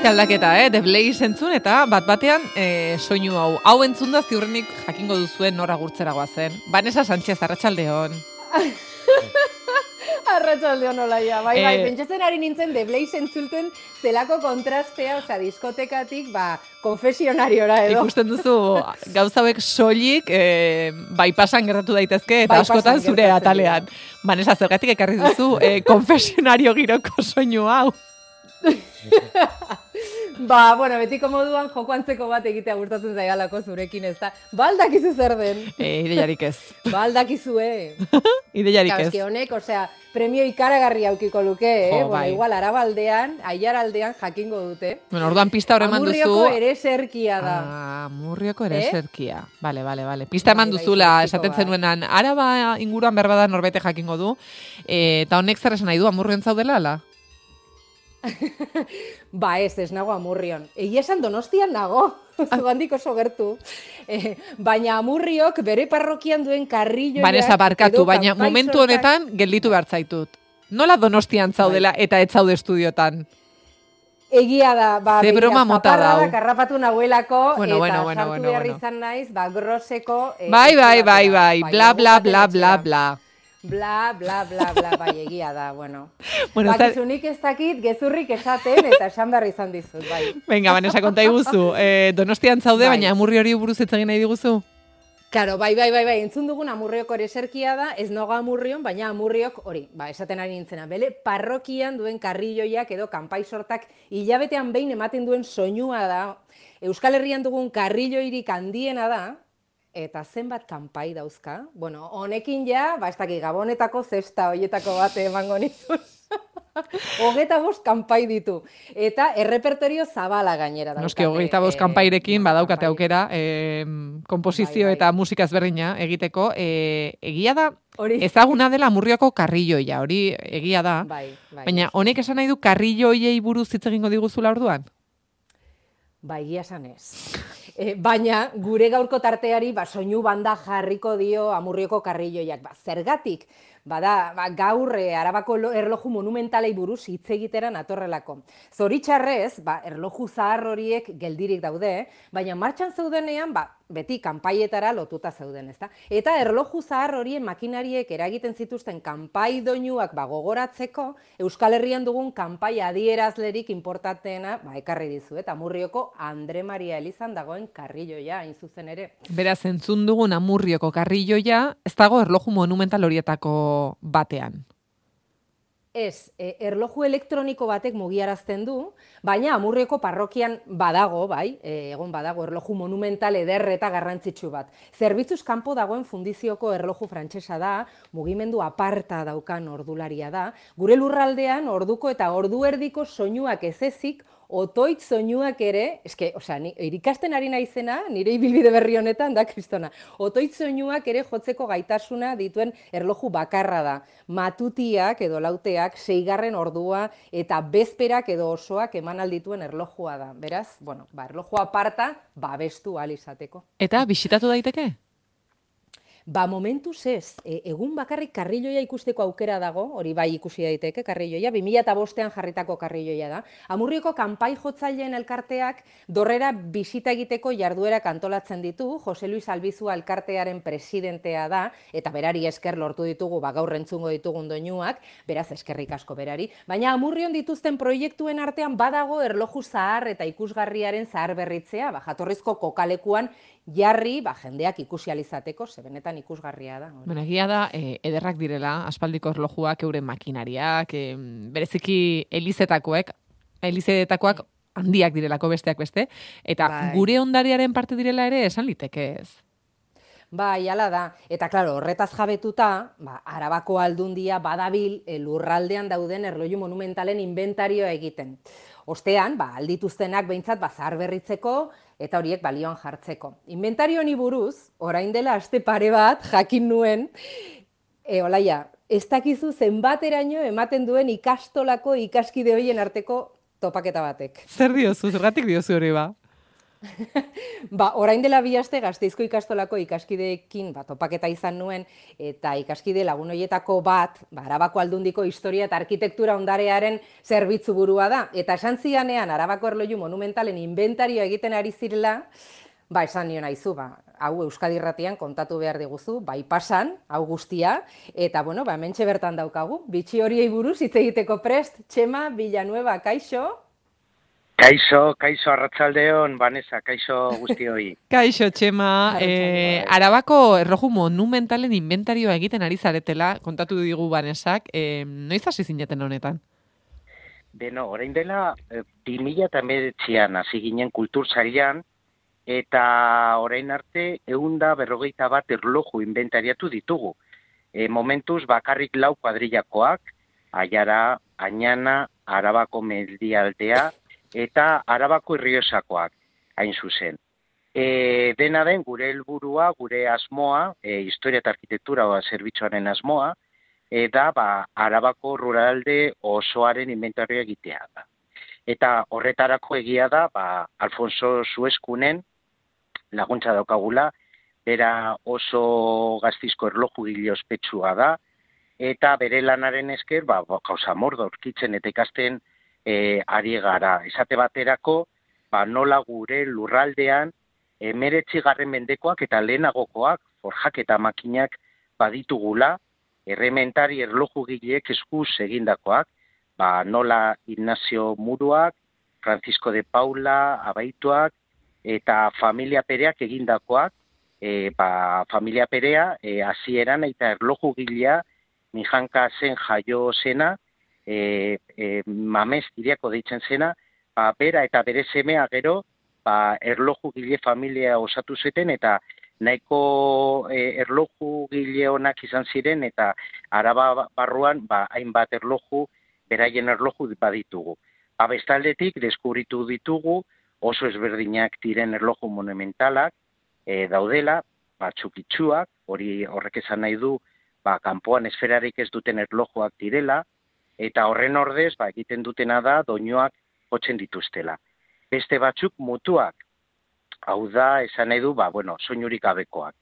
Ze aldaketa, The Blaze entzun eta bat-batean soinu hau. Hau entzun da ziurrenik jakingo duzuen nora gurtzeragoa zen. Vanessa Sánchez, arratsaldeon. Arratsaldeon olaia, bai, pentsatzen ari nintzen The Blaze entzulten zelako kontrastea, osea, diskotekatik, konfesionariora edo. Ikusten duzu, gauza hauek soilik, bai pasan gertatu daitezke, eta askotan zure atalean. Vanessa, zergatik ekarri duzu, konfesionario giroko soinu hau. Bueno, betiko moduan joko antzeko bat egitea gustatzen zaigalako zurekin, ez da. Aldakizu zer den. Ideiarik ez. Aldakizue. Ideiarik ez. Eske honek, osea, premio ikaragarri aukiko luke, bai. Igual Arabaldean, Aiaraldean jakingo dute. Bueno, orduan pista hor eman duzu. Amurrioko ereserkia da. Amurrioko ereserkia. Vale. Pista eman duzula, esaten zenuenan, Araba inguruan berbada norbete jakingo du. Eta honek zer esan nahi du, Amurrion zaudela, ala? Ez nago Amurrion. Egia esan Donostian nago, zugandik oso gertu. Baina Amurriok bere parrokian duen karrilloia... Vanessa, barkatu, baina momentu honetan gelditu behar zaitut. Nola Donostian zaudela eta ez zaude estudiotan? Egia da, ze broma mota dau. Karrapatu nahuelako, bueno, sartu behar izan naiz, groseko... Bai, bla, bla, bla, bla, bla. Bla, bla, bla, bla, bai, egia da, bueno. Bakizunik ez dakit gezurrik esaten eta esan behar izan dizut, bai. Venga, Vanessa, konta iguzu. Donostian zaude, baina Amurri hori buruz ez egin nahi diguzu? Claro, bai, entzun dugun Amurrioko ereserkia da, ez noga Amurrion, baina Amurriok hori, esaten ari nintzena, bele, parrokian duen karrilloiak edo kanpai sortak hilabetean behin ematen duen soinua da, Euskal Herrian dugun karrilloirik handiena da, eta zenbat kanpai dauzka. Bueno, honekin ja, ez dakit, Gabonetako zesta hoietako bat emango nizun. 25 kanpai ditu. Eta errepertorio zabala gainera daukate. Noski, 25 kanpairekin badaukate aukera, komposizio eta musika ezberdina egiteko. Egia da, ezaguna dela Amurrioko karrilloia, hori egia da. Baina honek esan nahi du karrilloiei buruz hitz egingo diguzula orduan? Egia esan ez. Baina gure gaurko tarteari soinu banda jarriko dio Amurrioko karrilloiak. Zergatik, gaur Arabako erloju monumentalei buruz hitz egitera natorrelako. Zoritxarrez, erloju zahar horiek geldirik daude, baina martxan zeudenean, beti kanpaietara lotuta zeuden, ezta? Eta erloju zahar horien makinariek eragiten zituzten kanpai doinuak gogoratzeko, Euskal Herrian dugun kanpai adierazlerik inportatena ekarri dizu, eta Amurrioko Andre Maria Elizan dagoen karrilloia, hain zuzen ere. Beraz, entzun dugun Amurrioko karrilloia, ez dago erloju monumental horietako batean. Ez, erloju elektroniko batek mugiarazten du, baina Amurrioko parrokian badago, egon badago erloju monumental eder eta garrantzitsu bat. Zerbitzuz kanpo dagoen fundizioko erloju frantsesa da, mugimendu aparta daukan ordularia da, gure lurraldean orduko eta ordu erdiko soinuak ez ezik, otoitz soinuak ere, irikasten ari naizena, nire ibilbide berri honetan da, kristona, otoitz soinuak ere jotzeko gaitasuna dituen erloju bakarra da. Matutiak edo lauteak, 6. ordua eta bezperak edo osoak eman aldituen erlojua da. Beraz, erloju aparta, babestu ahal izateko. Eta bisitatu daiteke? Momentuz ez, egun bakarrik karrilloia ikusteko aukera dago, hori ikusi daiteke karrilloia, 2005an jarritako karrilloia da. Amurrioko kanpai jotzaileen elkarteak dorrera bisita egiteko jarduerak antolatzen ditu, Jose Luis Albizu elkartearen presidentea da, eta berari esker lortu ditugu, gaur entzungo ditugun doinuak, beraz eskerrik asko berari. Baina Amurrion dituzten proiektuen artean badago erloju zahar eta ikusgarriaren zahar berritzea, jatorrizko kokalekuan jarri, jendeak ikusi alizateko, benetan ikusgarria da. Egia da, ederrak direla, aspaldiko erlojuak, euren makinariak, bereziki elizetakoak handiak direlako besteak beste, eta gure ondariaren parte direla ere esan liteke ez. Hala da. Eta, klaro, horretaz jabetuta, Arabako aldundia badabil lurraldean dauden erloju monumentalen inventarioa egiten. Ostean, aldituztenak behintzat zahar berritzeko eta horiek balioan jartzeko. Inventario honi buruz, orain dela aste pare bat jakin nuen, olaia, ez dakizu zenbateraino ematen duen ikastolako ikaskide horien arteko topaketa batek. Zer diozu, zergatik diozu hori ba? Orain dela 2 aste Gasteizko ikastolako ikaskideekin topaketa izan nuen, eta ikaskide lagun horietako bat, Arabako Aldundiko historia eta arkitektura ondarearen zerbitzu burua da. Eta esan zidanean Arabako erloju monumentalen inventarioa egiten ari zirela, esan nion aizu, hau Euskadi Irratian kontatu behar diguzu, pasan, hau guztia, eta hementxe bertan daukagu, bitxi horiei buruz hitz egiteko prest, Txema Villanueva, kaixo? Kaixo, arratsaldeon, Vanessa, kaixo guztioi. Kaixo, Txema, Arabako erloju monumentalen inventarioa egiten ari zaretela, kontatu digu Vanessak, noiz hasi zineten honetan? Beno, orain dela, 2019an hasi ginen kultursailean, eta orain arte 151 erloju inventariatu ditugu. Momentuz bakarrik 4 kuadrillakoak, Aiara, Añana, Arabako Mendialdea, eta Arabako Irriosakoak, hain zuzen. Dena den, gure helburua, gure asmoa, historia eta arkitektura zerbitzuaren asmoa, da Arabako ruralde osoaren inventarioa egitea da. Eta horretarako egia da, Alfonso Sueskunen laguntza daukagula, bera oso Gasteizko erlojugile ospetsua da, eta bere lanaren esker, gauza mordo aurkitzen eta ikasten ari gara. Esate baterako, nola gure lurraldean 19. mendekoak eta lehenagokoak, forjak eta makinak baditugula, errementari erlojugileek eskuz egindakoak, nola Ignacio Muruak, Francisco de Paula, abaituak, eta familia Pereak egindakoak, familia Perea, hasieran eta erlojugilea, Mijanka zen jaio zena, Mamez iriako deitzen zena, bera eta bere semea gero, erlojugile familia osatu zuten, eta nahiko erlojugile honak izan ziren, eta Araba barruan, hainbat erloju, beraien erloju baditugu. Bestaldetik, deskubritu ditugu, oso ezberdinak diren erloju monumentalak daudela, txukitsuak, horrek esan nahi du, kanpoan esferarik ez duten erlojuak direla, eta horren ordez, egiten dutena da, doinuak jotzen dituztela. Beste batzuk mutuak, hau da, esan nahi du, soinurik gabekoak.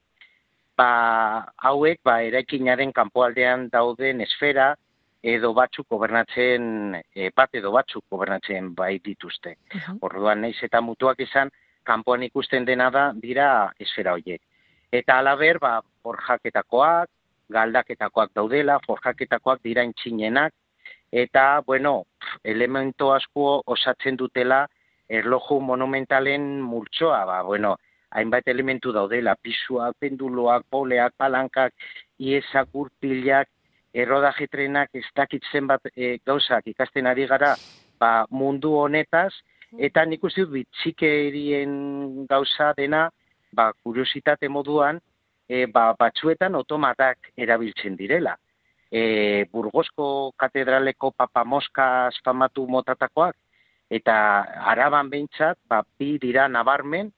Hauek, eraikinaren kanpoaldean dauden esfera, edo batzuk gobernatzen, bai dituzte. Orduan, naiz eta mutuak izan, kanpoan ikusten dena da, dira esfera horiek. Eta alaber, forjaketakoak, galdaketakoak daudela, forjaketakoak dira intxinenak, eta, elemento asko osatzen dutela erloju monumentalen multzoa, hainbat elementu daudela, pisuak, penduloak, poleak, palankak, iesak, gurpilak, errodajetrenak, ez dakitzen bat gauzak ikasten ari gara mundu honetaz, eta nik uste dut bitxikerien gauza dena, kuriositate moduan, batzuetan otomatak erabiltzen direla. Burgosko katedraleko papamoska famatu motatakoak, eta Araban behintzat, bi dira nabarmen,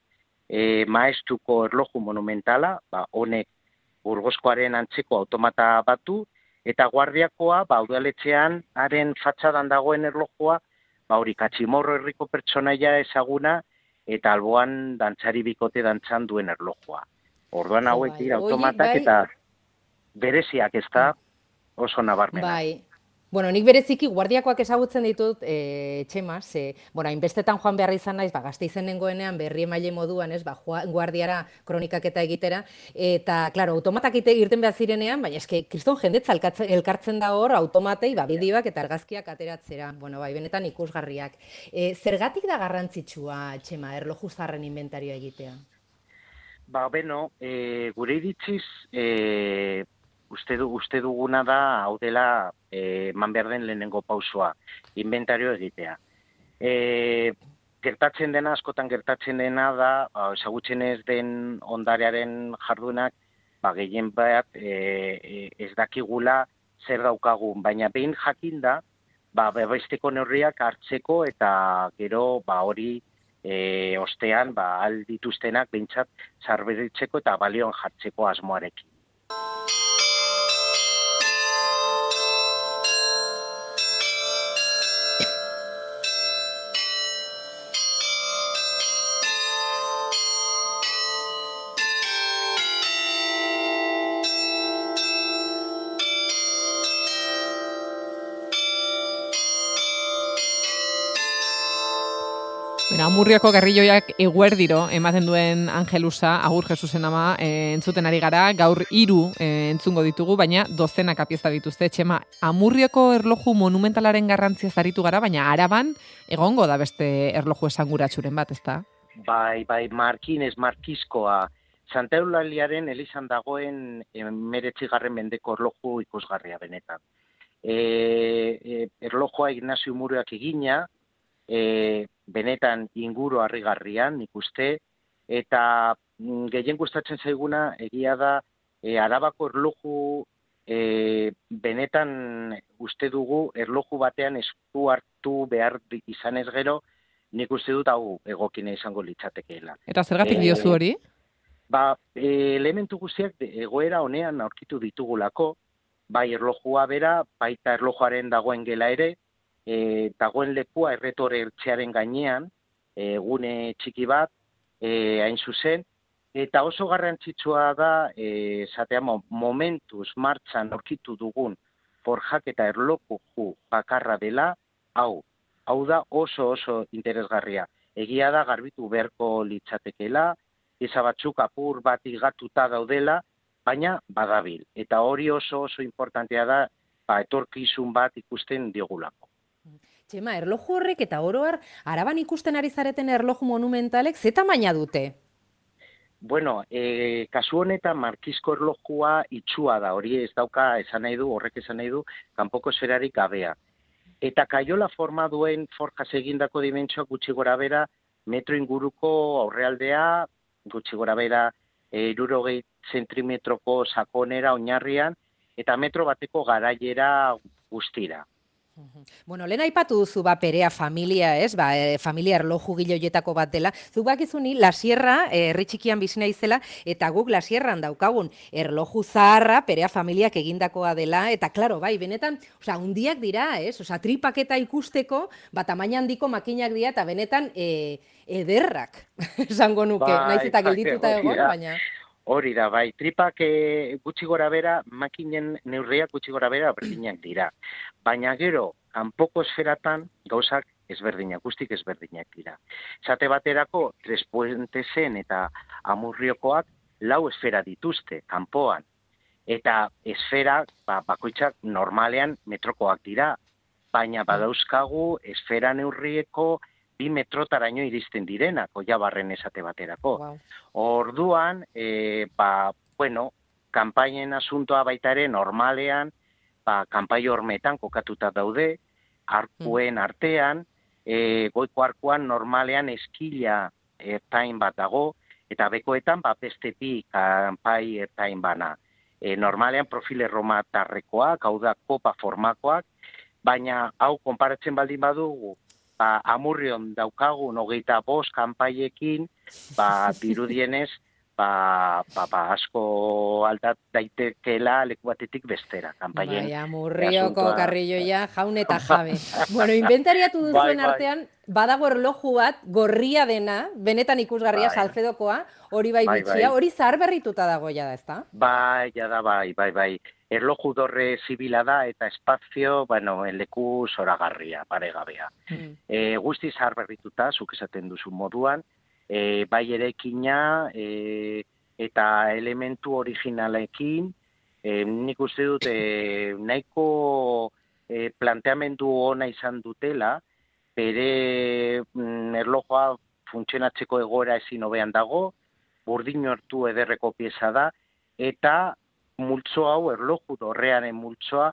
maestuko erloju monumentala, honek Burgoskoaren antzeko automata batu, eta guardiakoa, udaletxean, haren fatxadan dagoen erlojua, hori Katximorro herriko pertsonaia ezaguna, eta alboan dantzari bikote dantzan duen erlojua. Orduan hauek dira automatak eta bereziak ez da oso nabarmena. Nik bereziki guardiakoak ezagutzen ditut, Txema, hainbestetan joan behar izan naiz, Gasteizen nengoenean berri emaile moduan, guardiara kronikak eta egitera, eta, klaro, automatak irten behar zirenean, baina eske, kriston jendetza elkartzen da hor, automatei, bideoak eta argazkiak ateratzera, benetan ikusgarriak. Zergatik da garrantzitsua, Txema, erlojuzarren inventarioa egitea? Gure iritziz, uste duguna da, hau dela, eman behar den lehenengo pausua, inventario egitea. Gertatzen dena, askotan gertatzen dena da, ezagutzen ez den ondarearen jardunak, gehien bat ez dakigula zer daukagun, baina behin jakin da, babesteko neurriak hartzeko eta gero hori ostean aldituztenak behintzat zarberitzeko eta balioan jartzeko asmoarekin. Amurrioko Garrilloiak eguerdiro ematen duen Angelusa, Agur Jesusen ama, entzuten ari gara, gaur 3 entzungo ditugu, baina dozenak apieza dituzte. Txema, Amurrioko erloju monumentalaren garrantzia zaritu gara, baina Araban egongo da beste erloju esanguratsuren bat, ezta? Bai, Markiskoa, Santa Eulaliaren elizan dagoen 19. mendeko erloju ikusgarria benetan. Erlojua Ignacio Amurriok egina, benetan inguru harrigarrian, nik uste, eta gehien gustatzen zaiguna egia da Arabako erloju benetan uste dugu erloju batean esku hartu behar izanez gero, nik uste dut hau egokina izango litzatekeela. Eta zergatik diozu hori? Elementu guztiak egoera honean aurkitu ditugulako, bai erlojua bera, baita erlojuaren dagoen gela ere, dagoen lekua erretore eltzearen gainean, gune txiki bat, hain zuzen, eta oso garrantzitsua da, esatea momentuz martxan aurkitu dugun forjaketa erloju bakarra dela, hau da oso interesgarria. Egia da garbitu beharko litzatekeela, eza batzuk apur bat igatuta daudela, baina badabil. Eta hori oso importantea da, etorkizun bat ikusten diogulako. Txema, erloju horrek eta oroar, Araban ikusten ari zareten erloju monumentalek, ze tamaina dute? Bueno, kasu honetan Markisko erlojua itxua da, hori ez dauka horrek esan nahi du, kanpoko esferarik gabea. Eta kaiola forma duen forjaz egindako dimentsioak gutxi gora bera, metro inguruko aurrealdea, gutxi gora bera 60 zentimetroko sakonera oinarrian, eta metro bateko garaiera guztira. Bueno, lehen aipatu duzu Perea familia, ez? Familia erloju giloietako bat dela. Zuk bakizuni, La Sierra, herri txikian bizi naizela, eta guk La Sierran daukagun erloju zaharra Perea familiak egindakoa dela, eta klaro, bai, benetan, hundiak dira, ez? Tripaketa ikusteko, tamaina handiko makinak dira, eta benetan ederrak, esango nuke, naiz eta geldituta egon, baina... Hori da, bai, tripak gutxi gora bera, makinen neurriak gutxi gora bera berdinak dira. Baina gero, kanpoko esferatan gauzak ezberdinak, guztik ezberdinak dira. Esate baterako, Trespuentesen eta Amurriokoak 4 esfera dituzte, kanpoan. Eta esfera, bakoitzak normalean metrokoak dira. Baina badauzkagu esfera neurrieko 2 metrotaraino iristen direnak, Oiabarren esate baterako. Wow. Orduan, kanpainen asuntoa baita ere normalean, kanpai hormetan kokatuta daude, arkuen artean, goiko arkuan normalean eskila ertain bat dago, eta bekoetan beste 2 kanpai ertain bana. Normalean profil erromatarrekoak, hau da kopa formakoak, baina hau konparatzen baldin badugu, Amurrion daukagun 25 kanpaiekin, dirudienez, asko aldat daitekeela leku batetik bestera, kanpaien. Amurrioko Garrilloia jaun eta jabe. Bueno, inventariatu duzuen artean, badago erloju bat, gorria dena, benetan ikusgarria, Salcedokoa, hori bai bitxia, hori zahar berrituta dago jada, ezta? Bai. Erloju dorre zibila da eta espazio, leku zoragarria, paregabea. Guzti zahar berrituta, zuk esaten duzu moduan, bai erekina eta elementu originalekin, nik uste dut nahiko planteamendu ona izan dutela, bere erlojua funtzionatzeko egoera ezin hobean dago, burdin hartu ederreko pieza da, eta multzo hau, erloju dorrearen multzoa,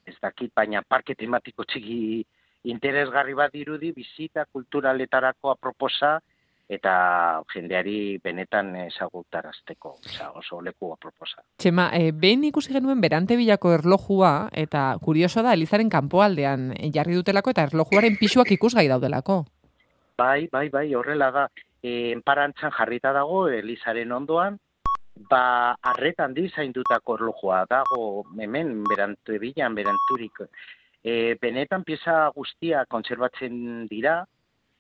ez dakit, baina parke tematiko txiki interesgarri bat dirudi, bizita kulturaletarako aproposa, eta jendeari benetan ezagutarazteko, oso leku aproposa. Txema, behin ikusi genuen Berantebilako erlojua, eta kurioso da, Elizaren kanpoaldean jarri dutelako, eta erlojuaren pisuak ikusgai daudelako. Bai, horrela da. Enparantzan jarrita dago, Elizaren ondoan, arretan dizaindutako erlojua dago hemen Berantebilan, Beranturik. Benetan pieza guztia kontserbatzen dira,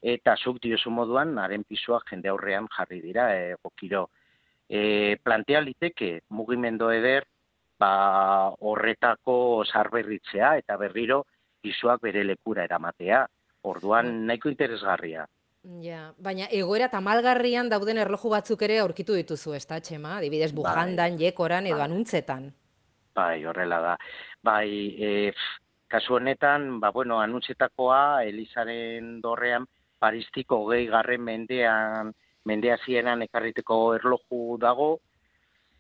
eta zuk diozu moduan, haren pisuak jende aurrean jarri dira, egokiro. Plantea liteke mugimendu eder, horretako sarberritzea, eta berriro pisuak bere lekura eramatea. Orduan nahiko interesgarria. Ja, baina egoera tamalgarrian dauden erloju batzuk ere aurkitu dituzu, ezta, Txema? Adibidez, bujandan, jekoran edo anuntzetan. Bai, horrela da. Bai, kasu honetan, anuntzetakoa, Elizaren dorrean, Paristiko 20. mendea zienan ekarriteko erloju dago,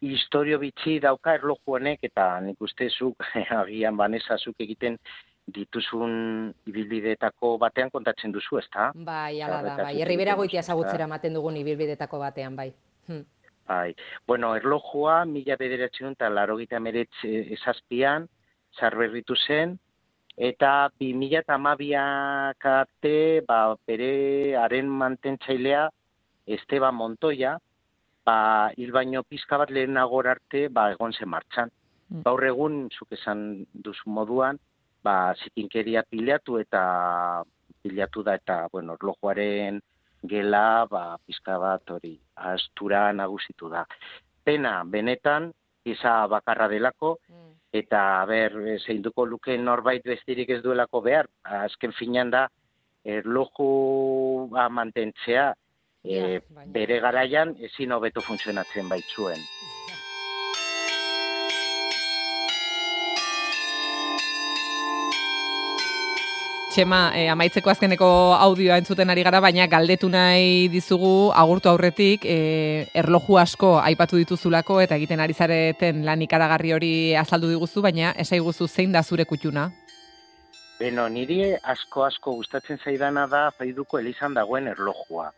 historio bitxi dauka erloju honek, eta nik uste zuk, agian Vanessa zuk egiten dituzun ibilbideetako batean kontatzen duzu, ezta? Bai, ala da, bai. Herribera Goitia ezagutzera ematen dugun ibilbideetako batean, bai. Bai, erlojua 1987an sarberritu zen, eta 2012ak arte, bere haren mantentzailea Esteban Montoya, hil baino pizka bat lehenagor arte, egon zen martxan. Gaur egun, zuk esan duzu moduan, zikinkeria pilatu da, eta, erlojuaren gela, pizka bat hori, astura nagusitu da. Pena, benetan, pieza bakarra delako, eta, zeinduko luke norbait bestirik ez duelako behar, azken finean da, erloju mantentzea, bere garaian ezin hobeto funtzionatzen baitzuen. Txema, amaitzeko azkeneko audioa entzuten ari gara, baina galdetu nahi dizugu agurtu aurretik, erloju asko aipatu dituzulako eta egiten ari zareten lan ikaragarri hori azaldu diguzu, baina esaiguzu zein da zure kutxuna? Niri asko gustatzen zaidana da Faiduko Elizan dagoen erlojua.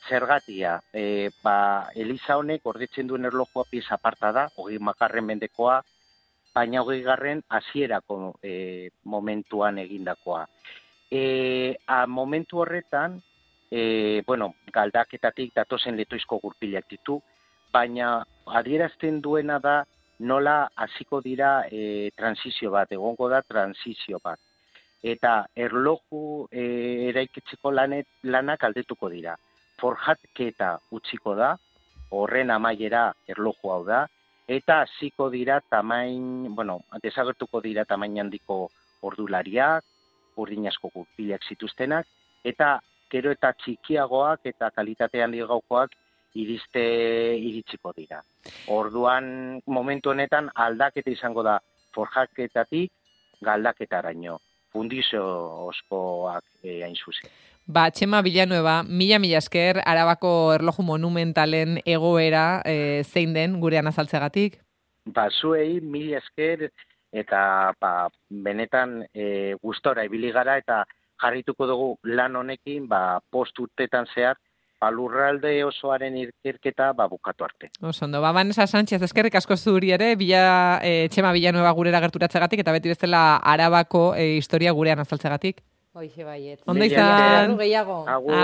Zergatia, Eliza honek gordetzen duen erlojua pieza aparta da, 20. mendekoa, baina 20. hasierako momentuan egindakoa. Momentu horretan, galdaketatik datozen letoizko gurpilak ditu, baina adierazten duena da nola hasiko dira transizio bat, egongo da transizio bat. Eta erloju eraikitzeko lanak aldetuko dira. Forjatketa utziko da, horren amaiera erloju hau da, eta hasiko dira desagertuko dira tamain handiko ordulariak, urdin asko gurpilak zituztenak, eta gero eta txikiagoak eta kalitate handiagokoak iritsiko dira. Orduan, momentu honetan aldaketa izango da forjaketatik galdaketaraino. Fundizio oskoak hain zuzen. Txema Villanueva, mila esker Arabako erloju monumentalen egoera zein den gurean azaltzegatik? Zuei mila esker eta benetan gustora ibili gara eta jarrituko dugu lan honekin post urtetan zehar lurralde osoaren ikerketa bukatu arte. Osondo, Vanessa Sánchez, eskerrik asko zuri ere, Txema Villanueva gurera gerturatzegatik eta beti bezala Arabako historia gurean azaltzegatik. Hoixe baiet. Ondo izan. Gehiago.